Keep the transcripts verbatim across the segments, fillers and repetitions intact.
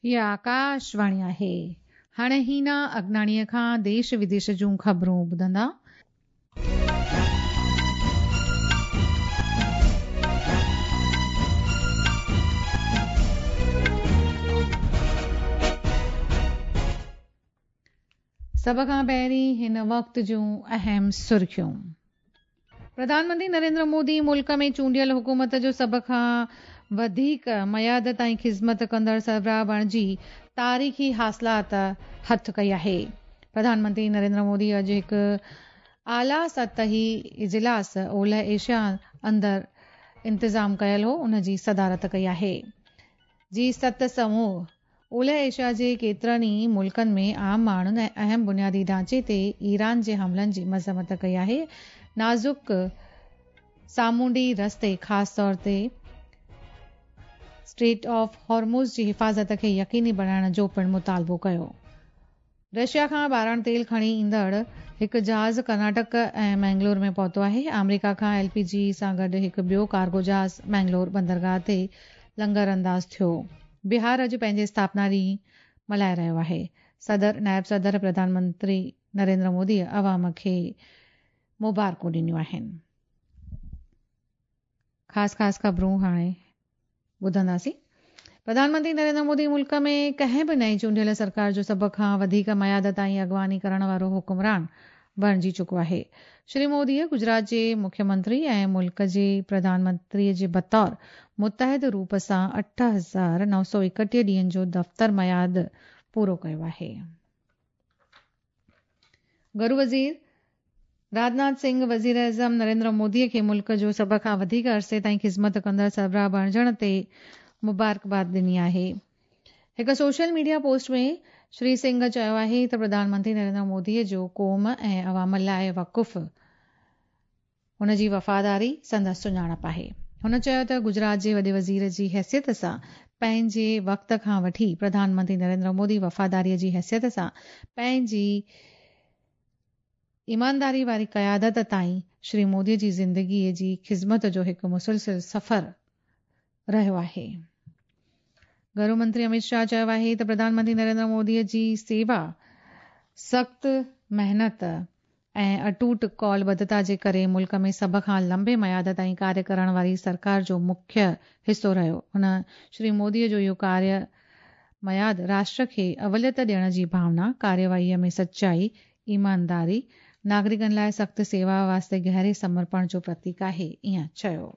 هيءَ آڪاشواڻي آهي. هاڻي هينا اگناڻيءَ کان ديش وديش جون خبرون ٻڌندا. سڀ کان پهرين هن وقت جون اهم سرخيون. پرڌان منتري نريندر مودي ملڪ ۾ چونڊيل حڪومت جو سڀ کان وڌيڪ ميعاد تائين خدمت ڪندڙ سربراهه بڻجي تاريخي حاصلات هٿ ڪئي آهي. پرڌان منتري نريندر مودي اڄ هڪ اعليٰ سطحي اجلاس اولهه ايشيا اندر انتظام ڪيل هو، ان جي صدارت ڪئي آهي. جي ست سموهه اولهه ايشيا جي ڪيترن ئي ملڪن ۾ عام ماڻهن ۽ اهم بنيادي ڍانچي تي ايران جي حملن جي مذمت ڪئي آهي. نازڪ سامونڊي رستي خاص طور تي اسٽريٽ آف هارموز جي حفاظت کي يقيني بڻائڻ جو پڻ مطالبو ڪيو. رشيا کان ٻارڻ تيل کڻي ايندڙ هڪ جهاز ڪرناٽڪ ۽ مينگلور ۾ پهتو آهي. آمريڪا کان ايل پي جي سان گڏ هڪ ٻيو ڪارگو جهاز مينگلور بندرگاهه تي لنگر انداز ٿيو. بهار اڄ پنهنجي اسٿاپنا ڏينهن ملهائي رهيو آهي. صدر، نائب صدر، پرڌان منتري نريندر مودي عوام کي مبارڪون ڏنيون آهن. خاص خاص خبرون هاڻي ٻڌنداسين. پرڌان منتري نريندر مودي ملڪ ۾ ڪنهن به نئين چونڊيل سرڪار جو سڀ کان وڌيڪ ميعاد تائين اڳواڻي ڪرڻ وارو حڪمران بڻجي چڪو آهي. شري موديءَ گجرات جي مکيه منتري ۽ ملڪ جي پرڌان منتري جي بطور متحد روپ سان اٺ هزار نو سؤ ايڪٽيهه ڏينهن جو دفتر ميعاد پورو ڪيو آهي. گهرو وزير راجناٿ سنگهه وزير اعظم نريندر موديءَ کي ملڪ جو سڀ کان وڌيڪ عرصي تائين خدمت ڪندڙ سربراهه بڻجڻ تي مبارڪباد ڏني آهي. هڪ social media post ۾ Shri Singh چيو آهي ته پرڌان منتري نريندر موديءَ جو قوم ۽ عوام لاءِ وقف هن جي وفاداري سندس سڃاڻپ آهي. هن چيو ته گجرات جي وڏي وزير جي حيثيت سان پنهنجي وقت کان وٺي پرڌان منتري نريندر مودي وفاداريءَ جي حيثيت سان پنهنجي ايمانداري واري قيادت تائين شري موديءَ جي زندگيءَ جي خدمت جو هڪ مسلسل سفر رهيو آهي. گهرو منتري امت شاهه چيو آهي ته پرڌان منتري نريندر موديءَ جي سيوا، سخت محنت ۽ اٽوٽ ڪالبڌتا جي ڪري ملڪ ۾ سڀ کان لمبي ميعاد تائين ڪاريه ڪرڻ واري سرڪار جو مکيه حصو رهيو. هن شري موديءَ جو اهو ڪاريه ميعاد راشٽر کي اوليت ڏيڻ جي ڀاونا، ڪاريواهيءَ ۾ سچائي، ايمانداري، ناگرڪن لاءِ سخت سيوا واسطي گهري سمرپڻ جو پرتيڪ آهي، ائين چيو.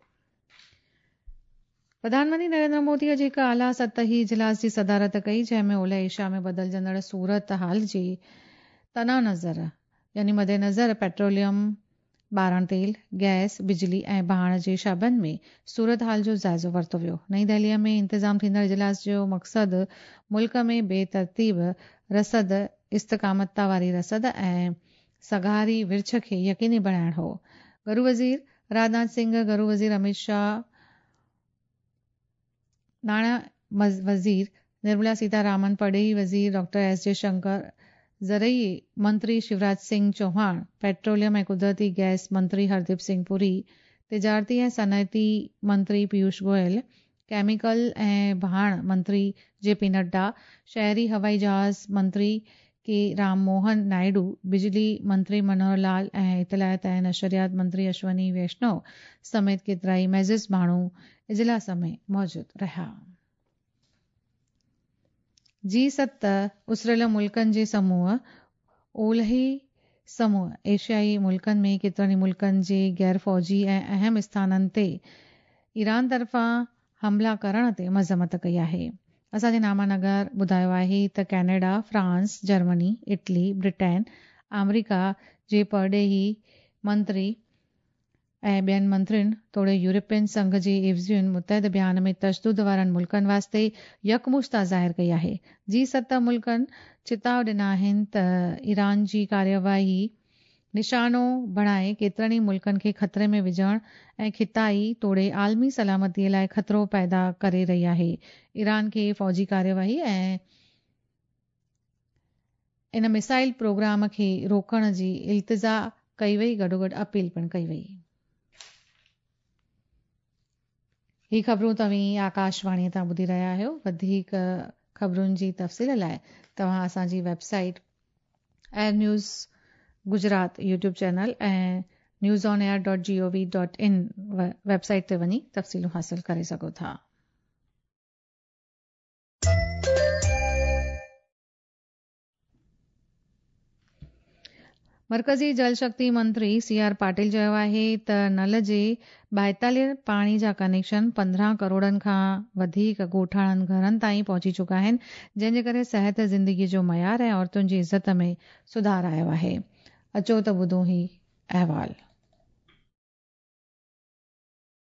پرڌان منتري نريندر مودي اڄ هڪ اعليٰ سطحي اجلاس جي صدارت ڪئي، جنهن ۾ اولهه ايشيا ۾ بدلجندڙ صورت حال جي تنا نظر يعني مد نظر پيٽروليم، ٻارڻ تيل، گئس، بجلي ۽ ڀاڻ جي شعبن ۾ صورت حال جو جائزو ورتو ويو. نئين دهليءَ ۾ انتظام ٿيندڙ اجلاس جو مقصد ملڪ ۾ بي ترتيب رسد، استقامت واري رسد ۽ سگهاري ورڇ کي يقيني بڻائڻ هو. گهرو وزير راجناٿ سنگهه، گهرو وزير امت شاهه، ناڻا وزير نرملا سيتارامن، پرڏيهي وزير ڊاڪٽر ايس جئشنڪر، زرعي منتري شيوراج سنگهه چوهاڻ، پيٽروليم ۽ قدرتي گئس منتري هرديپ سنگهه پوري، تجارتي ۽ صنعتي منتري پيوش گويل، ڪيميڪل ۽ ڀاڻ منتري جي پي نڊا، شهري هوائي جهاز منتري ڪي رام موهن نائيڊو، بجلي منتري منوهر لال ۽ اطلاعات ۽ نشريات منتري اشوني ويشنو سميت ڪيترائي معزز ماڻهو اجلاس ۾ موجود رهيا. جي ست اسريل ملڪن جي سموهه اولهي سموهه ايشيائي ملڪن ۾ ڪيترن ئي ملڪن جي غير فوجي ۽ اهم اسٿانن تي ايران طرفان حملا ڪرڻ تي مذمت ڪئي آهي. اسان جي نامانگر ٻڌايو آهي ته Canada, France, Germany, Italy, Britain, آمريڪا جي پرڏيهي منتري ۽ ٻين منترين توڙي يورپين سنگهه جي عيوضين متحد بيان ۾ تشدد وارن ملڪن واسطي يڪمشتا ظاهر ڪئي آهي. جي ست ملڪن چتاءُ ڏنا آهن ته ايران جي ڪاريواهي نشانو بڻائي ڪيترن ئي ملڪن کي خطري ۾ وجهڻ ۽ خطائي توڙي عالمي سلامتيءَ لاءِ خطرو پيدا ڪري رهي آهي. ايران کي فوجي ڪاريواهي ۽ ان ميزائل پروگرام کي روڪڻ جي التجا ڪئي وئي، گڏوگڏ اپيل پڻ ڪئي وئي. هي خبرون توهين آڪاشواڻيءَ تان ٻڌي رهيا آهيو. وڌيڪ ख़बरुनि जी तफ़सील लाइ तव्हां असांजी website air news Gujarat YouTube channel ऐं news on air dot G O V dot in website ते वञी तफ़सीलूं हासिल करे सघो था। मर्कज़ी जल शक्ति मंत्री सी आर पाटिल चयो आहे त नल जे ॿाएतालीह पाणी जा कनेक्शन पंद्रहं करोड़नि खां वधीक ॻोठाणनि घरनि ताईं पहुची चुका आहिनि, जंहिंजे करे सिहत, ज़िंदगीअ जो मयार ऐं औरतुनि जी इज़त में सुधार आयो आहे। अचो त ॿुधूं ही अहवाल।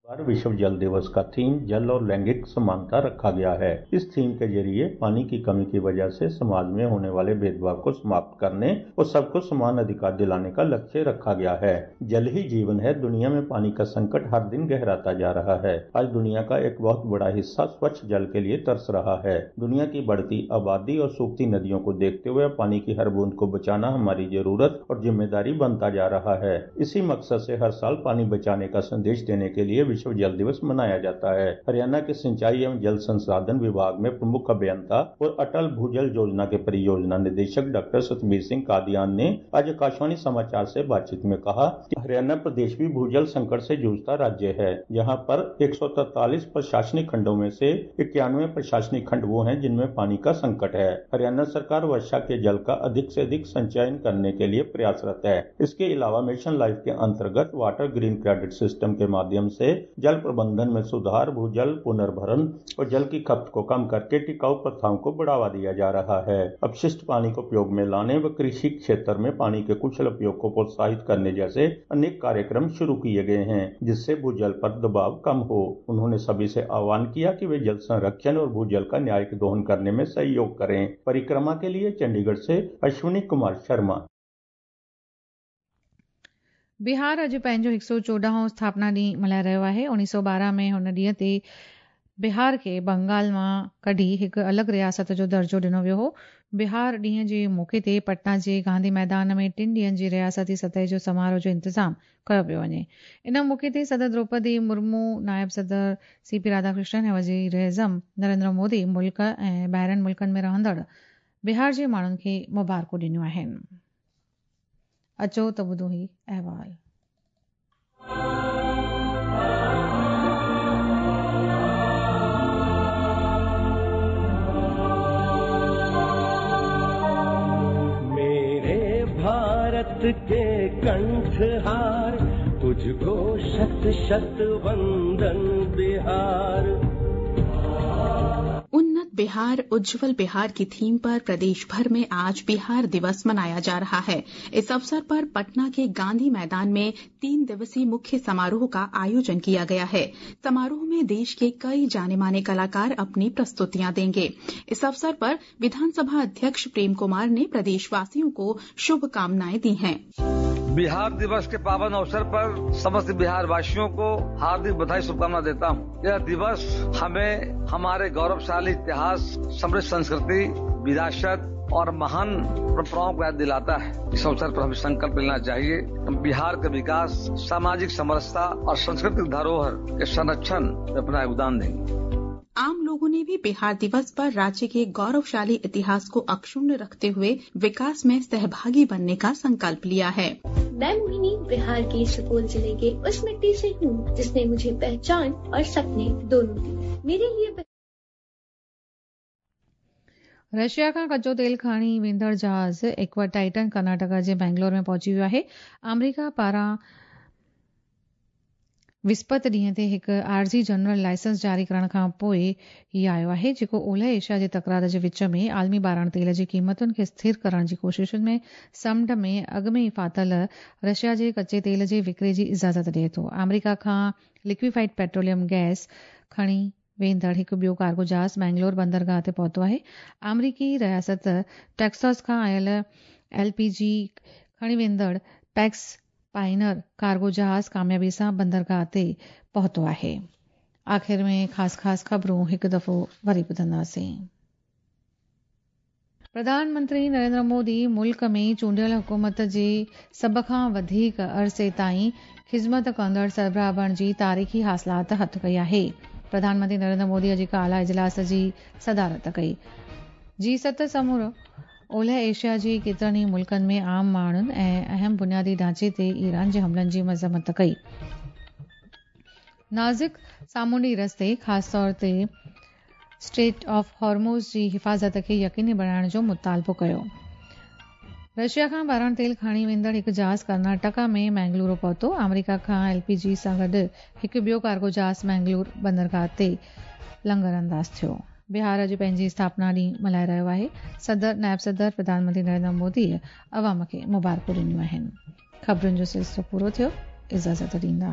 बार विश्व जल दिवस का थीम जल और लैंगिक समानता रखा गया है। इस थीम के जरिए पानी की कमी की वजह से समाज में होने वाले भेदभाव को समाप्त करने और सबको समान अधिकार दिलाने का लक्ष्य रखा गया है। जल ही जीवन है। दुनिया में पानी का संकट हर दिन गहराता जा रहा है। आज दुनिया का एक बहुत बड़ा हिस्सा स्वच्छ जल के लिए तरस रहा है। दुनिया की बढ़ती आबादी और सूखती नदियों को देखते हुए पानी की हर बूंद को बचाना हमारी जरूरत और जिम्मेदारी बनता जा रहा है। इसी मकसद से हर साल पानी बचाने का संदेश देने के लिए विश्व जल दिवस मनाया जाता है। हरियाणा के सिंचाई एवं जल संसाधन विभाग में प्रमुख अभियंता और अटल भूजल योजना के परियोजना निदेशक डॉक्टर सतबीर सिंह कादियान ने आज आकाशवाणी समाचार से बातचीत में कहा कि हरियाणा प्रदेश भी भूजल संकट से जूझता राज्य है, जहां पर एक सौ तैतालीस प्रशासनिक खंडों में से इक्यानवे प्रशासनिक खंड वो हैं जिनमें पानी का संकट है। हरियाणा सरकार वर्षा के जल का अधिक से अधिक संचयन करने के लिए प्रयासरत है। इसके अलावा मिशन लाइफ के अंतर्गत वाटर ग्रीन क्रेडिट सिस्टम के माध्यम से जल प्रबंधन में सुधार, भूजल पुनर्भरण और जल की खपत को कम करके टिकाऊ प्रथाओं को बढ़ावा दिया जा रहा है। अपशिष्ट पानी को उपयोग में लाने व कृषि क्षेत्र में पानी के कुशल उपयोग को प्रोत्साहित करने जैसे अनेक कार्यक्रम शुरू किए गए हैं, जिससे भूजल पर दबाव कम हो। उन्होंने सभी से आह्वान किया कि वे जल संरक्षण और भूजल का न्यायिक दोहन करने में सहयोग करें। परिक्रमा के लिए चंडीगढ़ से अश्विनी कुमार शर्मा। बिहार अॼु पंहिंजो हिकु सौ चोॾहं स्थापना ॾींहुं मल्हाए रहियो आहे। उणिवीह सौ ॿारहं में हुन ॾींहं ते बिहार खे बंगाल मां कढी हिकु अलॻि रियासत जो दर्जो ॾिनो वियो हो। बिहार ॾींहं जे मौक़े ते पटना जे गांधी मैदान में टिनि ॾींहंनि जी रियासती सतह जो समारोह जो इंतज़ाम कयो पियो वञे। इन मौक़े ते सदर द्रौपदी मुर्मू, नायब सदर सी पी राधाकृष्णन ऐं वज़ीर आज़म नरेंद्र मोदी मुल्क ऐं ॿाहिरियुनि मुल्कनि में रहंदड़ बिहार जे माण्हुनि खे मुबारकूं ॾिनियूं आहिनि। अचो त ॿुधूं ही अहवाल। मेरे भारत के कंठहार, तुझको शत शत वंदन बिहार। उन्नत बिहार उज्जवल बिहार की थीम पर प्रदेश भर में आज बिहार दिवस मनाया जा रहा है। इस अवसर पर पटना के गांधी मैदान में तीन दिवसीय मुख्य समारोह का आयोजन किया गया है। समारोह में देश के कई जाने माने कलाकार अपनी प्रस्तुतियां देंगे। इस अवसर पर विधानसभा अध्यक्ष प्रेम कुमार ने प्रदेशवासियों को शुभकामनाएं दी हैं। बिहार दिवस के पावन अवसर पर समस्त बिहार वासियों को हार्दिक बधाई शुभकामना देता हूं। यह दिवस हमें हमारे गौरवशाली इतिहास, समृद्ध संस्कृति, विरासत और महान परंपराओं को याद दिलाता है। इस अवसर पर हमें संकल्प लेना चाहिए हम बिहार के विकास, सामाजिक समरसता और सांस्कृतिक धरोहर के संरक्षण में अपना योगदान देंगे। आम लोगों ने भी बिहार दिवस पर राज्य के गौरवशाली इतिहास को अक्षुण्ण रखते हुए विकास में सहभागी बनने का संकल्प लिया है। मैं मोहिनी बिहार के सुपौल जिले के उस मिट्टी से हूँ जिसने मुझे पहचान और सपने दोनों दिए। मेरे लिए रशिया खां कचो तेल खणी वेंदड़ जहाज़ एक्वा टाइटन कर्नाटका जे बेंगलोर में पहुची वियो आहे। आमेरिका पारां विस्पत ॾींहं ते हिकु आर्ज़ी जनरल लाइसेंस जारी करण खां पोइ ई आयो आहे, जेको ओलह एशिया जे तकरार जे विच में आलमी ॿाराण तेल जी क़ीमतुनि खे स्थिर करण जी कोशिशुनि में समुंड में अॻु में ई फाथल रशिया जे कच्चे तेल जे विकिरे जी इजाज़त ॾिए थो। आमेरिका खां लिक्विफाइड पेट्रोलियम गैस खणी वेंदड़ हिकु ॿियो कार्गो जहाज़ बैंगलोर बंदरगाह ते पहुतो आहे। आमेरिकी रियासत टेक्सास खां आयल एल पी जी खणी वेंदड़ पैक्स पाइनर कार्गो जहाज़ कामयाबी सां बंदरगाह ते पहुतो आहे। आख़िर में ख़ासि ख़ासि ख़बरूं हिकु दफ़ो वरी ॿुधंदासीं। प्रधानमंत्री नरेंद्र मोदी मुल्क में चूंडियल हुकूमत जे सभ खां वधीक अरसे ताईं ख़िज़मत कंदड़ सरबराह बणिजी तारीख़ी हासिलात हथु कई आहे। प्रधानमंत्री नरेंद्र मोदी अॼु हिकु आला इजलास जी सदारत कई। جي ست سمورو اولهه ايشيا جي ڪيترن ئي ملڪن ۾ عام ماڻهن ۽ اهم بنيادي ڍانچي تي ايران جي حملن جي مذمت ڪئي. نازڪ سامونڊي رستي خاص طور تي اسٽريٽ آف هارموز جي حفاظت کي يقيني بڻائڻ جو مطالبو ڪيو. رشيا کان ٻارڻ تيل کڻي ويندڙ هڪ جهاز ڪرناٽڪا ۾ مينگلورو پهتو. آمريڪا کان ايل پي جي سان گڏ هڪ ٻيو ڪارگو جهاز مينگلور بندرگاهه تي لنگر انداز ٿيو. بهار اڄ پنهنجي اسٿاپنا ڏينهن ملهائي رهيو آهي. صدر، نائب صدر، پرڌان منتري نريندر مودي عوام کي مبارڪون ڏنيون آهن. خبرن جو سلسلو پورو ٿيو. اجازت ڏيندا.